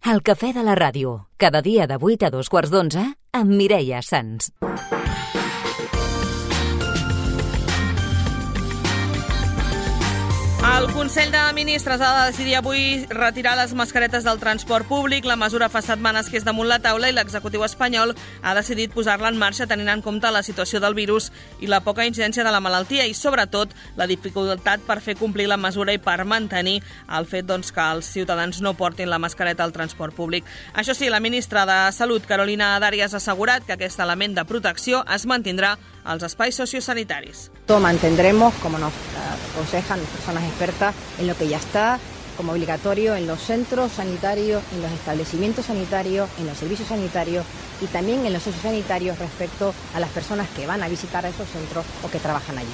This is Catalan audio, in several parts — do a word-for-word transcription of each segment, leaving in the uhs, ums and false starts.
El cafè de la ràdio, cada dia de vuit a dos quarts d'onze, amb Mireia Sans. El Consell de Ministres ha de decidir avui retirar les mascaretes del transport públic. La mesura fa setmanes que és damunt la taula i l'executiu espanyol ha decidit posar-la en marxa tenint en compte la situació del virus i la poca incidència de la malaltia i, sobretot, la dificultat per fer complir la mesura i per mantenir el fet doncs, que els ciutadans no portin la mascareta al transport públic. Això sí, la ministra de Salut, Carolina Darias, ha assegurat que aquest element de protecció es mantindrà als espais sociosanitaris. Todo mantendremos, como nos aconsejan personas expertas, en lo que ya está como obligatorio en los centros sanitarios, en los establecimientos sanitarios, en los servicios sanitarios y también en los sociosanitarios respecto a las personas que van a visitar a esos centros o que trabajan allí.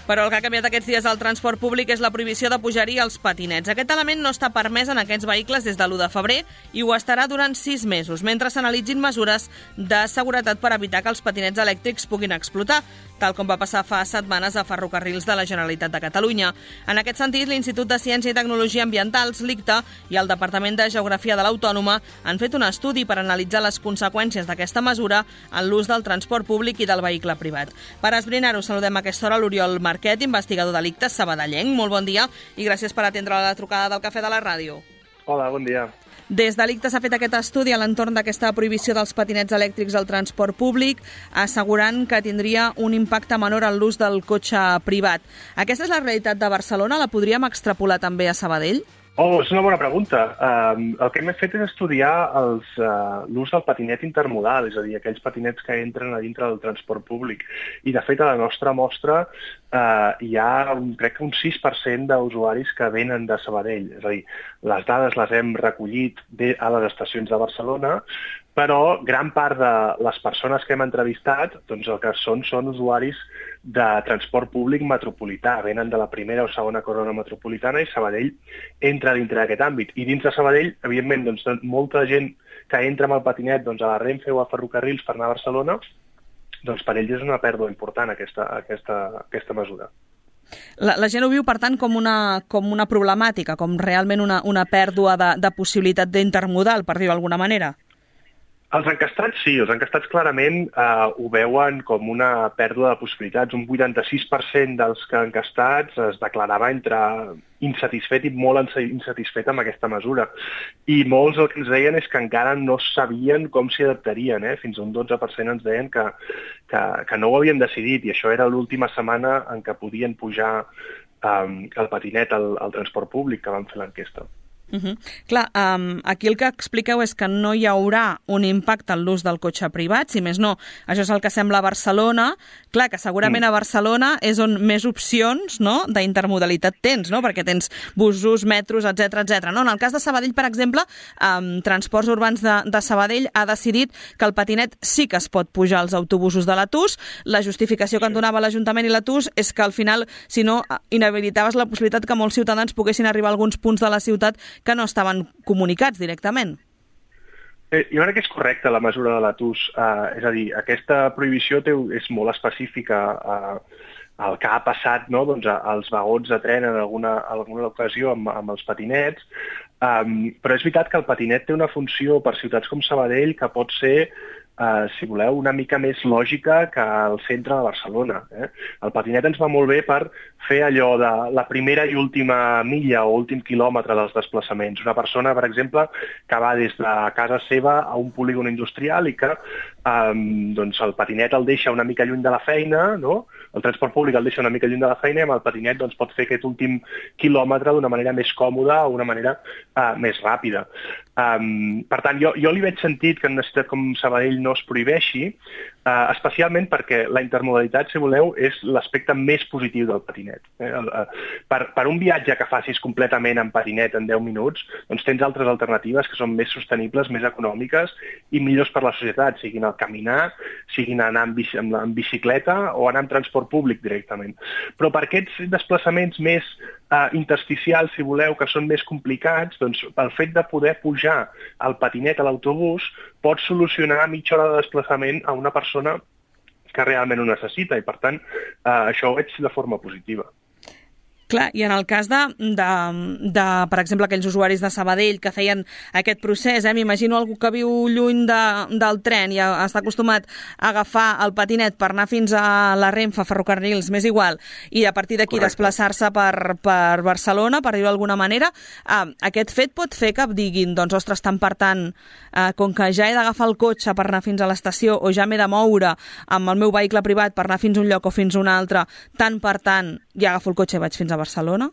Però el que ha canviat aquests dies al transport públic és la prohibició de pujar-hi als patinets. Aquest element no està permès en aquests vehicles des de l'u de febrer i ho estarà durant sis mesos, mentre s'analitzin mesures de seguretat per evitar que els patinets elèctrics puguin explotar, tal com va passar fa setmanes a Ferrocarrils de la Generalitat de Catalunya. En aquest sentit, l'Institut de Ciència i Tecnologia Ambientals, l'I C T A, i el Departament de Geografia de l'Autònoma han fet un estudi per analitzar les conseqüències d'aquesta mesura en l'ús del transport públic i del vehicle privat. Per esbrinar-ho, saludem a aquesta hora l'Oriol Marquet, investigador de l'I C T A sabadellenc. Molt bon dia i gràcies per atendre la trucada del Cafè de la Ràdio. Hola, bon dia. Des de l'I C T A s'ha fet aquest estudi a l'entorn d'aquesta prohibició dels patinets elèctrics al transport públic, assegurant que tindria un impacte menor en l'ús del cotxe privat. Aquesta és la realitat de Barcelona? La podríem extrapolar també a Sabadell? Oh, és una bona pregunta. Um, el que hem fet és estudiar els, uh, l'ús del patinet intermodal, és a dir, aquells patinets que entren a dintre del transport públic. I, de fet, a la nostra mostra uh, hi ha, un, crec que un sis per cent d'usuaris que venen de Sabadell. És a dir, les dades les hem recollit de, a les estacions de Barcelona, però gran part de les persones que hem entrevistat, doncs el que són són usuaris de transport públic metropolità, venen de la primera o segona corona metropolitana i Sabadell entra dintre d'aquest àmbit. I dins de Sabadell, evidentment, doncs, molta gent que entra amb el patinet doncs, a la Renfe o a Ferrocarrils per anar a Barcelona, doncs per ells és una pèrdua important aquesta, aquesta, aquesta mesura. La, la gent ho viu, per tant, com una, com una problemàtica, com realment una, una pèrdua de, de possibilitat d'intermodal, per dir-ho d'alguna manera? Els encastats sí, els encastats clarament eh, ho veuen com una pèrdua de possibilitats. Un vuitanta-sis per cent dels que encastats es declarava entre insatisfet i molt insatisfet amb aquesta mesura. I molts el que ens deien és que encara no sabien com s'hi adaptarien. Eh? Fins a un dotze per cent ens deien que, que, que no ho havien decidit i això era l'última setmana en què podien pujar eh, el patinet al, al transport públic que van fer l'enquesta. Uh -huh. Clar, um, aquí el que expliqueu és que no hi haurà un impacte en l'ús del cotxe privat, si més no, això és el que sembla a Barcelona. Clar, que segurament a Barcelona és on més opcions, no?, d'intermodalitat tens, no?, perquè tens busos, metros, etcètera, etcètera. No? En el cas de Sabadell, per exemple, um, Transports Urbans de, de Sabadell ha decidit que el patinet sí que es pot pujar als autobusos de l'A T U S. La justificació que en donava l'Ajuntament i l'A T U S és que al final, si no, inhabilitaves la possibilitat que molts ciutadans poguessin arribar a alguns punts de la ciutat que no estaven comunicats directament. Eh, jo crec que és correcta la mesura de l'A T U S. Uh, és a dir, aquesta prohibició té, és molt específica uh, al que ha passat, no? Doncs, als vagons de tren en alguna, alguna ocasió amb, amb els patinets, um, però és veritat que el patinet té una funció per ciutats com Sabadell que pot ser Uh, si voleu, una mica més lògica que al centre de Barcelona. Eh? El patinet ens va molt bé per fer allò de la primera i última milla o últim quilòmetre dels desplaçaments. Una persona, per exemple, que va des de casa seva a un polígon industrial i que um, doncs el patinet el deixa una mica lluny de la feina, no? El transport públic el deixa una mica lluny de la feina i amb el patinet doncs, pot fer aquest últim quilòmetre d'una manera més còmoda o una manera uh, més ràpida. Um, per tant, jo, jo li veig sentit que en una ciutat com Sabadell no es prohibeixi, uh, especialment perquè la intermodalitat, si voleu, és l'aspecte més positiu del patinet. Eh? Uh, per, per un viatge que facis completament en patinet en deu minuts, doncs tens altres alternatives que són més sostenibles, més econòmiques i millors per la societat, siguin el caminar, siguin anar en, bici, en, en bicicleta o anar en transport públic directament. Però per aquests desplaçaments més uh, intersticials, si voleu, que són més complicats, doncs el fet de poder pujar el patinet a l'autobús pot solucionar mitja hora de desplaçament a una persona que realment ho necessita i, per tant, eh, això ho veig de forma positiva. Clar, i en el cas de, de, de, per exemple, aquells usuaris de Sabadell que feien aquest procés, eh? M'imagino algú que viu lluny de, del tren i està acostumat a agafar el patinet per anar fins a la Renfe, Ferrocarrils, m'és igual, i a partir d'aquí desplaçar-se per, per Barcelona, per dir-ho d'alguna manera, eh, aquest fet pot fer que diguin, doncs, ostres, tant per tant, eh, com que ja he d'agafar el cotxe per anar fins a l'estació o ja m'he de moure amb el meu vehicle privat per anar fins a un lloc o fins a un altre, tant per tant, ja agafo el cotxe i vaig fins a Barcelona?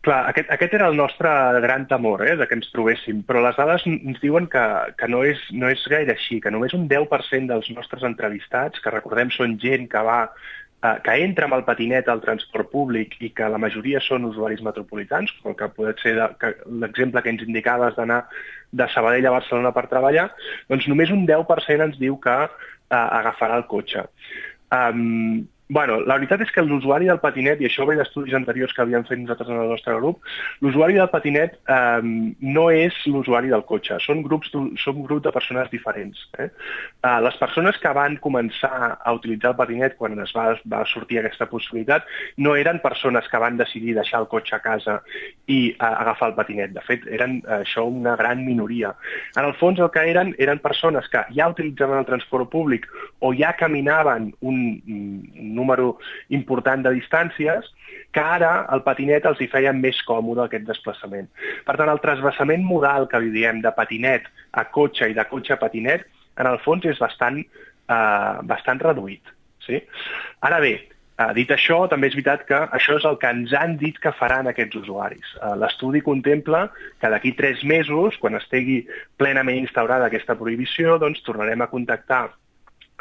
Clar, aquest, aquest era el nostre gran temor, eh, de que ens trobéssim, però les dades ens diuen que, que no, és, no és gaire així, que només un deu per cent dels nostres entrevistats, que recordem són gent que va eh, que entra amb el patinet al transport públic i que la majoria són usuaris metropolitans, com que pot ser l'exemple que ens indicaves d'anar de Sabadell a Barcelona per treballar, doncs només un deu per cent ens diu que eh, agafarà el cotxe. Um, Bueno, la veritat és que l'usuari del patinet, i això ve d'estudis anteriors que havíem fet nosaltres en el nostre grup, l'usuari del patinet eh, no és l'usuari del cotxe, són grups, són grups de persones diferents. Eh? Eh, les persones que van començar a utilitzar el patinet quan es va, va sortir aquesta possibilitat no eren persones que van decidir deixar el cotxe a casa i eh, agafar el patinet. De fet, eren eh, això una gran minoria. En el fons el que eren eren persones que ja utilitzaven el transport públic o ja caminaven un, un número important de distàncies, que ara el patinet els hi feia més còmode aquest desplaçament. Per tant, el transvasament modal que li diem de patinet a cotxe i de cotxe a patinet, en el fons és bastant, eh, bastant reduït. Sí? Ara bé, eh, dit això, també és veritat que això és el que ens han dit que faran aquests usuaris. Eh, l'estudi contempla que d'aquí tres mesos, quan estigui plenament instaurada aquesta prohibició, doncs tornarem a contactar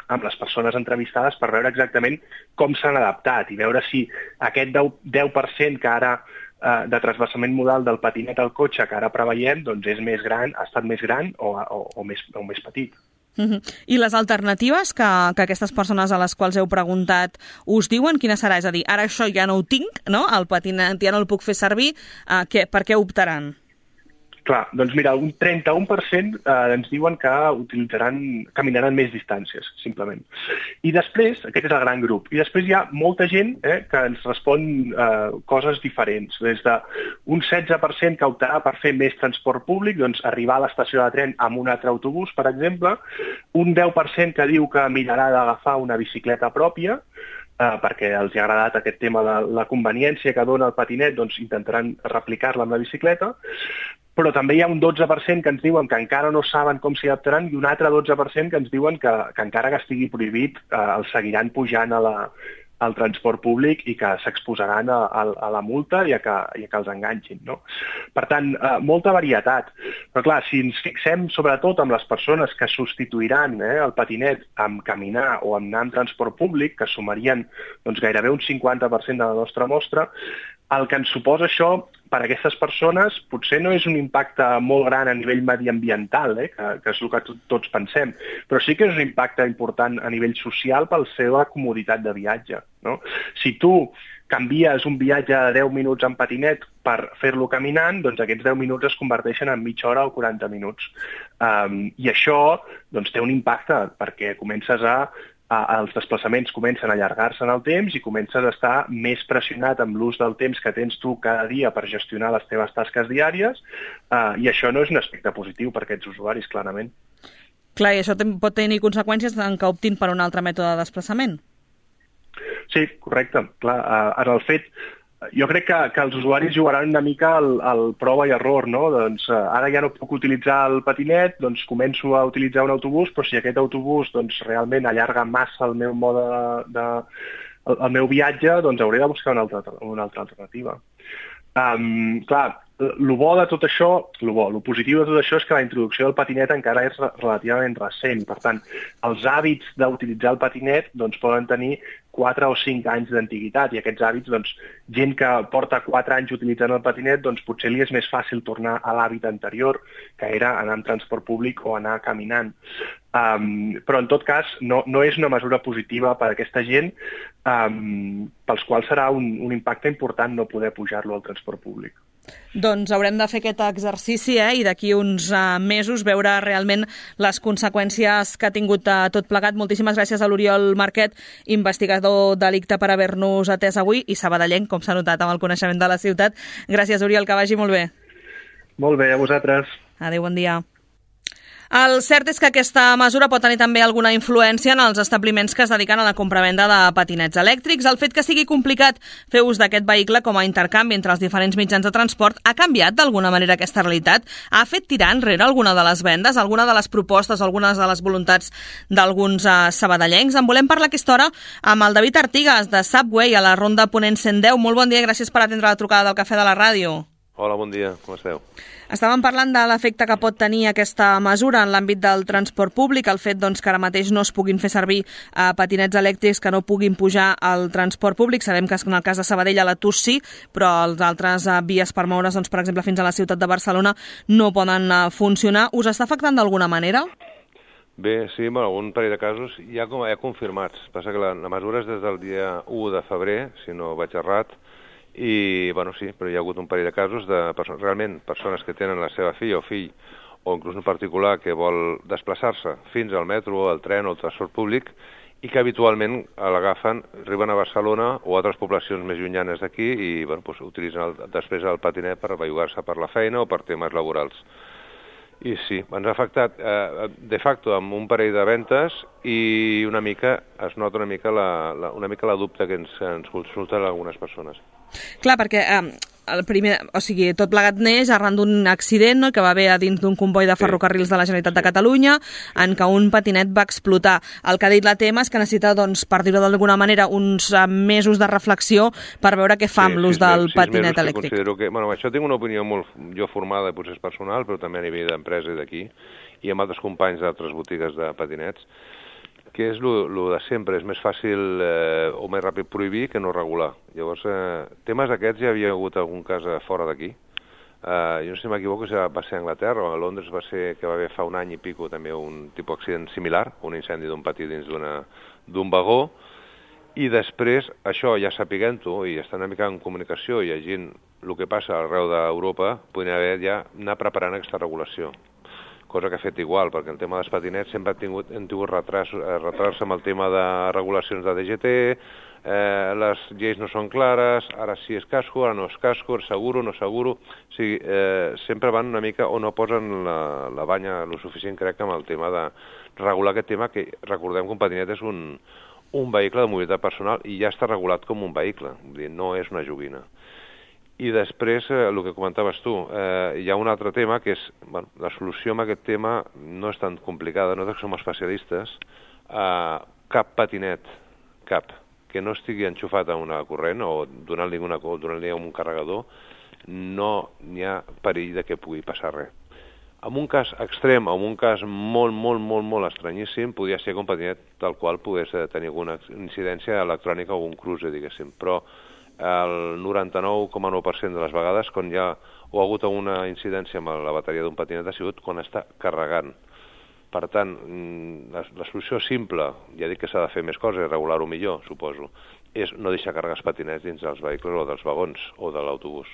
amb les persones entrevistades per veure exactament com s'han adaptat i veure si aquest deu per cent que ara eh, de transvasament modal del patinet al cotxe que ara preveiem doncs és més gran, ha estat més gran o, o, o, més, o més petit. Uh-huh. I les alternatives que, que aquestes persones a les quals heu preguntat us diuen, quina serà? És a dir, ara això ja no ho tinc, no? El patinet ja no el puc fer servir, eh, què, per què optaran? Clar, doncs mira, un trenta-un per cent eh, ens diuen que utilitzaran, caminaran més distàncies, simplement. I després, aquest és el gran grup, i després hi ha molta gent eh, que ens respon eh, coses diferents. Des d'un setze per cent que optarà per fer més transport públic, doncs arribar a l'estació de tren amb un altre autobús, per exemple, un deu per cent que diu que mirarà d'agafar una bicicleta pròpia, Uh, perquè els ha agradat aquest tema de la conveniència que dona el patinet, doncs intentaran replicar-la amb la bicicleta, però també hi ha un dotze per cent que ens diuen que encara no saben com s'hi adaptaran i un altre dotze per cent que ens diuen que, que encara que estigui prohibit uh, els seguiran pujant a la, al transport públic i que s'exposaran a, a, a la multa i a que, i a que els enganxin. No? Per tant, eh, molta varietat. Però clar, si ens fixem sobretot amb les persones que substituiran eh, el patinet amb caminar o amb anar en transport públic, que sumarien doncs, gairebé un cinquanta per cent de la nostra mostra, el que ens suposa això per a aquestes persones potser no és un impacte molt gran a nivell mediambiental, eh, que, que és el que tots pensem, però sí que és un impacte important a nivell social per la seva comoditat de viatge. No? Si tu canvies un viatge de deu minuts en patinet per fer-lo caminant, doncs aquests deu minuts es converteixen en mitja hora o quaranta minuts. Um, I això doncs, té un impacte perquè comences a els desplaçaments comencen a allargar-se en el temps i comences a estar més pressionat amb l'ús del temps que tens tu cada dia per gestionar les teves tasques diàries eh, i això no és un aspecte positiu per a aquests usuaris, clarament. Clar, i això pot tenir conseqüències en que optin per un altre mètode de desplaçament? Sí, correcte. Clar, eh, en el fet... Jo crec que, que els usuaris jugaran una mica al, al prova i error, no? Doncs eh, ara ja no puc utilitzar el patinet, doncs començo a utilitzar un autobús, però si aquest autobús doncs, realment allarga massa el meu mode de, de el, el meu viatge, doncs hauré de buscar una altra, una altra alternativa. Um, clar, el bo de tot això, el bo, el positiu de tot això és que la introducció del patinet encara és relativament recent. Per tant, els hàbits d'utilitzar el patinet doncs, poden tenir quatre o cinc anys d'antiguitat i aquests hàbits, doncs, gent que porta quatre anys utilitzant el patinet, doncs potser li és més fàcil tornar a l'hàbit anterior, que era anar en transport públic o anar caminant. Um, però en tot cas no, no és una mesura positiva per a aquesta gent um, pels quals serà un, un impacte important no poder pujar-lo al transport públic. Doncs haurem de fer aquest exercici eh? i d'aquí uns uh, mesos veure realment les conseqüències que ha tingut uh, tot plegat. Moltíssimes gràcies a l'Oriol Marquet, investigador delicte, per haver-nos atès avui, i sabadellenc, com s'ha notat amb el coneixement de la ciutat. Gràcies, Oriol, que vagi molt bé. Molt bé, a vosaltres. Adéu, bon dia. El cert és que aquesta mesura pot tenir també alguna influència en els establiments que es dediquen a la compravenda de patinets elèctrics. El fet que sigui complicat fer ús d'aquest vehicle com a intercanvi entre els diferents mitjans de transport ha canviat d'alguna manera aquesta realitat? Ha fet tirar enrere alguna de les vendes, alguna de les propostes, algunes de les voluntats d'alguns uh, sabadellencs? En volem parlar aquesta hora amb el David Artigas, de Subway, a la Ronda Ponent cent deu. Molt bon dia i gràcies per atendre la trucada del Cafè de la Ràdio. Hola, bon dia, com esteu? Estàvem parlant de l'efecte que pot tenir aquesta mesura en l'àmbit del transport públic, el fet doncs, que ara mateix no es puguin fer servir eh, patinets elèctrics que no puguin pujar al transport públic. Sabem que en el cas de Sabadell a la T U S sí, però els altres eh, vies per moure's, doncs, per exemple, fins a la ciutat de Barcelona no poden eh, funcionar. Us està afectant d'alguna manera? Bé, sí, bueno, un parell de casos ja, com, ja confirmats. Passa que la, la mesura és des del dia u de febrer, si no vaig errat, i, bueno, sí, però hi ha hagut un parell de casos de persones, realment persones que tenen la seva filla o fill, o inclús un particular que vol desplaçar-se fins al metro, al tren o al transport públic, i que habitualment l'agafen, arriben a Barcelona o a altres poblacions més llunyanes d'aquí i, bueno, doncs, utilitzen el, després el patinet per bellugar-se per la feina o per temes laborals. I sí, ens ha afectat eh, de facto amb un parell de ventes i una mica, es nota una mica la, la, una mica la dubte que ens, ens consulten algunes persones. Clar, perquè eh, el primer, o sigui, tot plegat neix arran d'un accident, no?, que va haver a dins d'un comboi de ferrocarrils de la Generalitat de Catalunya, en què un patinet va explotar. El que ha dit la T E M és que necessita, doncs, per dir-ho d'alguna manera, uns mesos de reflexió per veure què fa amb sí, l'ús del patinet mesos elèctric. Considero que, bueno, això tinc una opinió molt jo formada, potser és personal, però també a nivell d'empresa i d'aquí, i amb altres companys d'altres botigues de patinets, que és el de sempre, és més fàcil eh, o més ràpid prohibir que no regular. Llavors, eh, temes d'aquests ja havia hagut algun cas fora d'aquí. Eh, jo no sé si m'equivoco, ja va ser a Anglaterra, o a Londres va ser que va haver fa un any i pico també un tipus d'accident similar, un incendi d'un patí dins d'un vagó, i després, això ja sapiguent-ho, i estant una mica en comunicació i llegint el que passa arreu d'Europa, podria haver ja anar preparant aquesta regulació. Cosa que ha fet igual, perquè el tema dels patinets sempre han tingut, han tingut retrats, retrats amb el tema de regulacions de D G T, eh, les lleis no són clares, ara sí és casco, ara no és casco, seguro, no seguro. O sigui, eh, sempre van una mica o no posen la, la banya lo suficient, crec, amb el tema de regular aquest tema, que recordem que un patinet és un, un vehicle de mobilitat personal i ja està regulat com un vehicle, vull dir, no és una joguina. I després, eh, el que comentaves tu, eh, hi ha un altre tema que és, bueno, la solució a aquest tema no és tan complicada, nosaltres som especialistes, eh, cap patinet, cap, que no estigui enxufat a una corrent o donant-li una, donant-li un carregador, no hi ha perill de que pugui passar res. En un cas extrem, o en un cas molt, molt, molt, molt estranyíssim, podria ser que un patinet tal qual pogués tenir alguna incidència electrònica o un cruce, diguéssim, però el noranta-nou coma nou per cent de les vegades, quan hi ha o ha hagut una incidència amb la bateria d'un patinet, ha sigut quan està carregant. Per tant, la, la solució simple, ja dic que s'ha de fer més coses, regular-ho millor, suposo, és no deixar carregar els patinets dins dels vehicles o dels vagons o de l'autobús.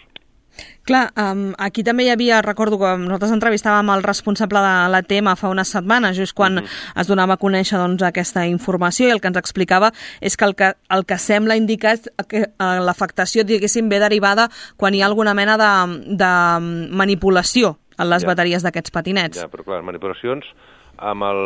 Clar, um, aquí també hi havia, recordo que nosaltres entrevistàvem el responsable de la T E M fa unes setmanes, just quan uh-huh. es donava a conèixer, doncs, aquesta informació, i el que ens explicava és que el que, el que sembla indicar és que uh, l'afectació, diguéssim, ve derivada quan hi ha alguna mena de, de manipulació en les ja. bateries d'aquests patinets. Ja, però clar, manipulacions amb el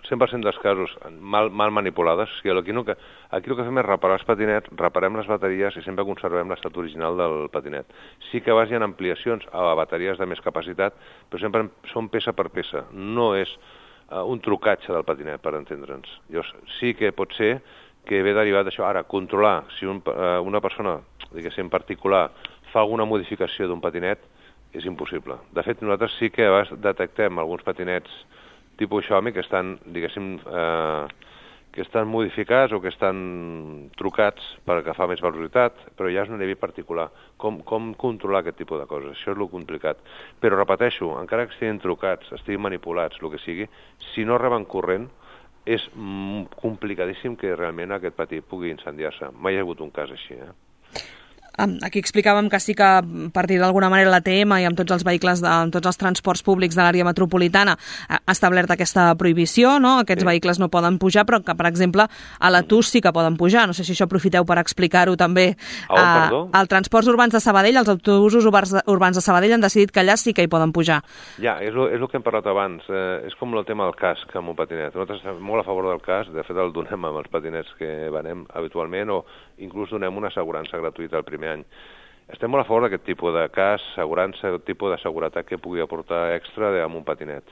cent per cent dels casos mal, mal manipulades. O sigui, aquí, no, aquí el que fem és reparar els patinets, reparem les bateries i sempre conservem l'estat original del patinet. Sí que a vegades hi ha ampliacions a bateries de més capacitat, però sempre són peça per peça. No és uh, un trucatge del patinet, per entendre'ns. Llavors, sí que pot ser que ve derivat d'això. Ara, controlar si un, uh, una persona, diguéssim, en particular, fa alguna modificació d'un patinet, és impossible. De fet, nosaltres sí que a vegades detectem alguns patinets tipus Xiaomi que estan, diguéssim, eh, que estan modificats o que estan trucats per agafar més velocitat, però ja és un nivell particular. Com, com controlar aquest tipus de coses? Això és el complicat. Però repeteixo, encara que estiguin trucats, estiguin manipulats, el que sigui, si no reben corrent, és complicadíssim que realment aquest patí pugui incendiar-se. Mai hi ha hagut un cas així, eh? Aquí explicàvem que sí que a partir d'alguna manera la T M i amb tots els vehicles, de, amb tots els transports públics de l'àrea metropolitana ha establert aquesta prohibició, no? Aquests sí. vehicles no poden pujar, però que, per exemple, a la T U S sí que poden pujar. No sé si això aprofiteu per explicar-ho també. Oh, perdó? Als transports urbans de Sabadell, els autobusos urbans de Sabadell han decidit que allà sí que hi poden pujar. Ja, és el, és el que hem parlat abans. Eh, és com el tema del casc amb un patinet. Nosaltres estem molt a favor del casc, de fet el donem amb els patinets que venem habitualment, o inclús donem una assegurança gratuïta el primer any. Estem molt a favor d'aquest tipus de cas, assegurança, aquest tipus de seguretat que pugui aportar extra amb un patinet.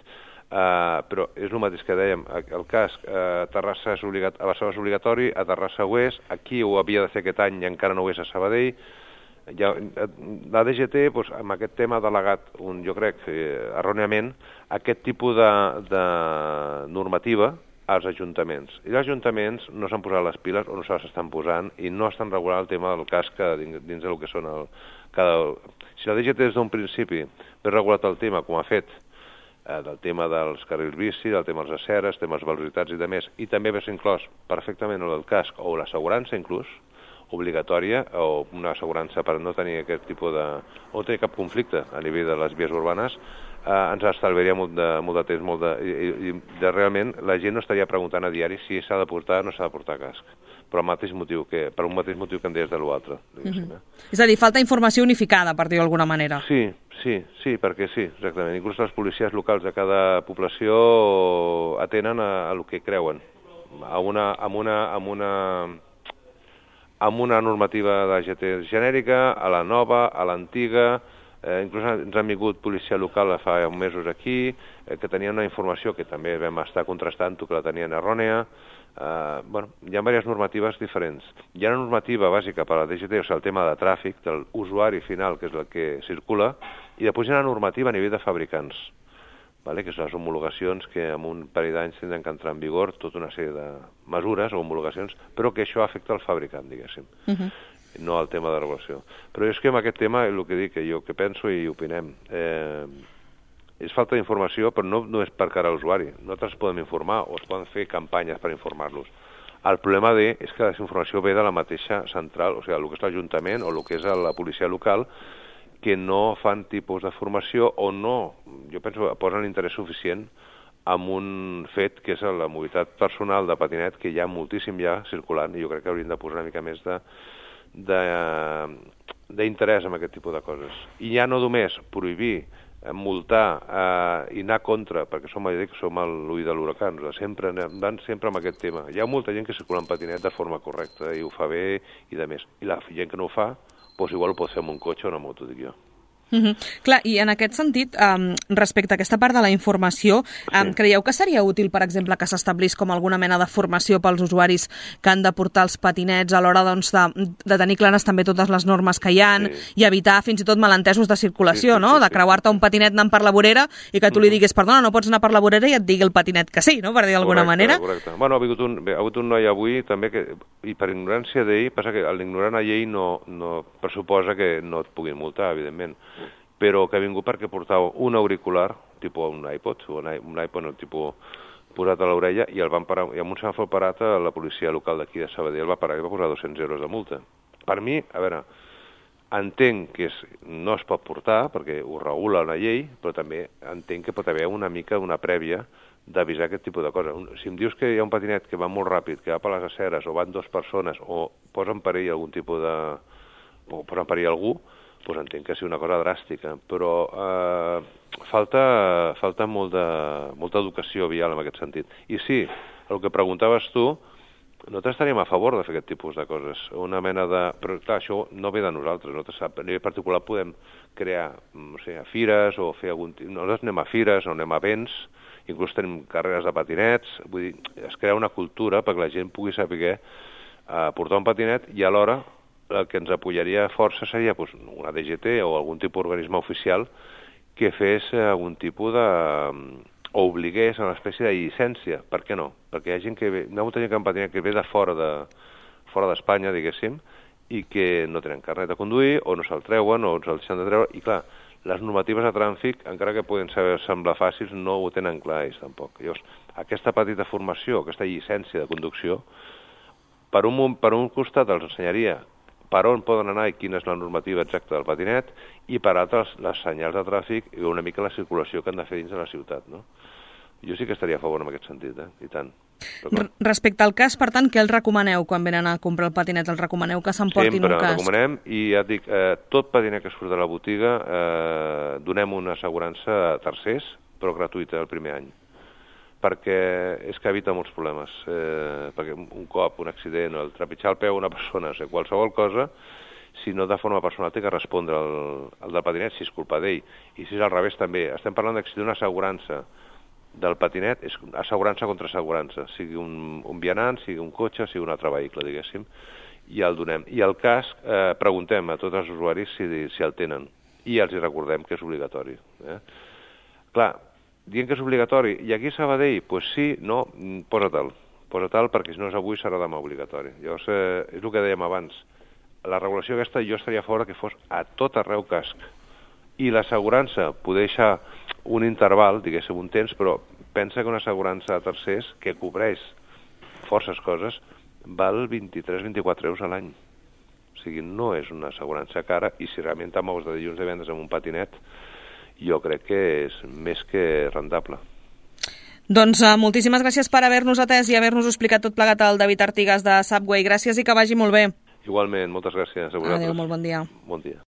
Uh, però és el mateix que dèiem, el casc a Terrassa és obligat, a Barcelona és obligatori, a Terrassa ho és, aquí ho havia de fer aquest any i encara no ho és a Sabadell. Ja, la D G T, doncs, amb aquest tema ha delegat, un, jo crec, eh, erròniament, aquest tipus de, de normativa als ajuntaments. I els ajuntaments no s'han posat les piles o no se les estan posant i no estan regulant el tema del casc dins, dins del que són el... Cada... Si la D G T des d'un principi ve regulat el tema, com ha fet, eh, del tema dels carrils bici, del tema dels aceres, temes velocitats i de més, i també hagués inclòs perfectament el del casc o l'assegurança inclús, obligatòria, o una assegurança per no tenir aquest tipus de... o no tenir cap conflicte a nivell de les vies urbanes, Eh, ens estalviaria molt de, molt de temps, molt de, i, i de, realment la gent no estaria preguntant a diari si s'ha de portar o no s'ha de portar casc, però el mateix motiu que, per un mateix motiu que en deies de l'altre. Mm-hmm. eh? És a dir, falta informació unificada, per dir-ho d'alguna manera. Sí, sí, sí, perquè sí, exactament. Inclús les policies locals de cada població atenen a, a el que creuen, a una, amb una, amb una, amb una normativa de G T genèrica, a la nova, a l'antiga. Eh, inclús ens han vingut policia local fa mesos aquí, eh, que tenien una informació que també vam estar contrastant-ho, que la tenien errònia. Eh, bueno, hi ha diverses normatives diferents. Hi ha una normativa bàsica per a la D G T, o sigui, el tema de tràfic, del usuari final, que és el que circula, i després hi ha una normativa a nivell de fabricants, vale? Que són les homologacions que en un parell d'anys tindran que entrar en vigor tota una sèrie de mesures o homologacions, però que això afecta al fabricant, diguéssim. Uh-huh. No al tema de regulació. Però és que amb aquest tema, el que dic, que jo que penso i opinem, eh, és falta d'informació, però no, no és per cara a l'usuari. Nosaltres podem informar o es poden fer campanyes per informar-los. El problema de, és que la informació ve de la mateixa central, o sigui, el que és l'Ajuntament o el que és la policia local, que no fan tipus de formació o no, jo penso, posen l'interès suficient amb un fet que és la mobilitat personal de patinet, que hi ha moltíssim ja circulant, i jo crec que hauríem de posar una mica més de d'interès en aquest tipus de coses. I ja no només prohibir, multar eh, i anar contra, perquè som, som l'ull de l'huracà, sempre van sempre amb aquest tema. Hi ha molta gent que circula en patinet de forma correcta i ho fa bé i de més. I la gent que no ho fa, doncs igual ho pot fer amb un cotxe o una moto, dic jo. Mm-hmm. Clar, i en aquest sentit, um, respecte a aquesta part de la informació, um, sí. Creieu que seria útil, per exemple, que s'establís com alguna mena de formació pels usuaris que han de portar els patinets a l'hora doncs, de, de tenir clares també totes les normes que hi ha sí. i evitar fins i tot malentesos de circulació, sí, sí, no? Sí, sí, de creuar-te un patinet anant per la vorera i que tu li diguis, perdona, no pots anar per la vorera i et digui el patinet que sí, no? Per dir d'alguna manera. Correcte. Bueno, ha hagut un, ha hagut un noi avui també que, i per ignorància d'ell, passa que l'ignorant a llei no, no pressuposa que no et puguin multar, evidentment, però que ha vingut perquè portava un auricular, tipus un iPod, o un, un iPod, no, tipus posat a l'orella, i el van parar, i amb un semàfor parat a la policia local d'aquí de Sabadell el va parar i va posar dos-cents euros de multa. Per mi, a veure, entenc que és, no es pot portar, perquè ho regula una llei, però també entenc que pot haver una mica una prèvia d'avisar aquest tipus de coses. Si em dius que hi ha un patinet que va molt ràpid, que va per les aceres, o van dues persones, o posa en perill algun tipus de... o posa en perill algú, doncs entenc que sigui una cosa dràstica, però eh, falta, falta molta, molta educació vial en aquest sentit. I sí, el que preguntaves tu, nosaltres estaríem a favor de fer aquest tipus de coses, una mena de... Però clar, això no ve de nosaltres, nosaltres a nivell particular podem crear, no sé, fires o fer algun... Nosaltres anem a fires o anem a events, inclús tenim carreres de patinets, vull dir, es crea una cultura perquè la gent pugui saber eh, portar un patinet i alhora el que ens apoyaria força seria pues, una D G T o algun tipus d'organisme oficial que fes algun tipus de... o obligués a una espècie de llicència. Per què no? Perquè hi ha gent que ve, hi ha molta gent que patina que ve de fora de fora d'Espanya, diguéssim, i que no tenen carnet de conduir, o no se'l treuen, o se'l deixen de treure, i clar, les normatives de trànsit, encara que poden saber, semblar fàcils, no ho tenen clar ells tampoc. Llavors, aquesta petita formació, aquesta llicència de conducció, per un, per un costat els ensenyaria per on poden anar i quina és la normativa exacta del patinet, i per altres les senyals de tràfic i una mica la circulació que han de fer dins de la ciutat, no? Jo sí que estaria a favor en aquest sentit, eh? I tant. Respecte al cas, per tant, què els recomaneu quan venen a comprar el patinet? Els recomaneu que s'emportin un casc? Sempre recomanem, i ja et dic, eh, tot patinet que surt de la botiga eh, donem una assegurança a tercers, però gratuïta el primer any, perquè és que evita molts problemes, eh, perquè un cop, un accident, o el trepitjar el peu a una persona, o sigui, qualsevol cosa, si no de forma personal té que respondre el, el del patinet, si és culpa d'ell, i si és al revés també. Estem parlant que si una assegurança del patinet és assegurança contra assegurança, sigui un, un vianant, sigui un cotxe, sigui un altre vehicle, diguéssim, i el donem. I el casc, eh, preguntem a tots els usuaris si, si el tenen, i els hi recordem que és obligatori. Eh? Clar, dient que és obligatori, i aquí a Sabadell, doncs sí, no, posa-te'l, posa-te'l perquè si no és avui serà demà obligatori. Llavors, eh, és el que dèiem abans, la regulació aquesta jo estaria a favor que fos a tot arreu casc, i l'assegurança poder deixar un interval, diguéssim, un temps, però pensa que una assegurança a tercers que cobreix forces coses val vint-i-tres a vint-i-quatre euros a l'any. O sigui, no és una assegurança cara, i si realment te mous de dilluns a divendres amb un patinet, jo crec que és més que rentable. Doncs uh, moltíssimes gràcies per haver-nos atès i haver-nos explicat tot plegat al David Artigas de Subway. Gràcies i que vagi molt bé. Igualment, moltes gràcies a vosaltres. Adéu, molt bon dia. Bon dia.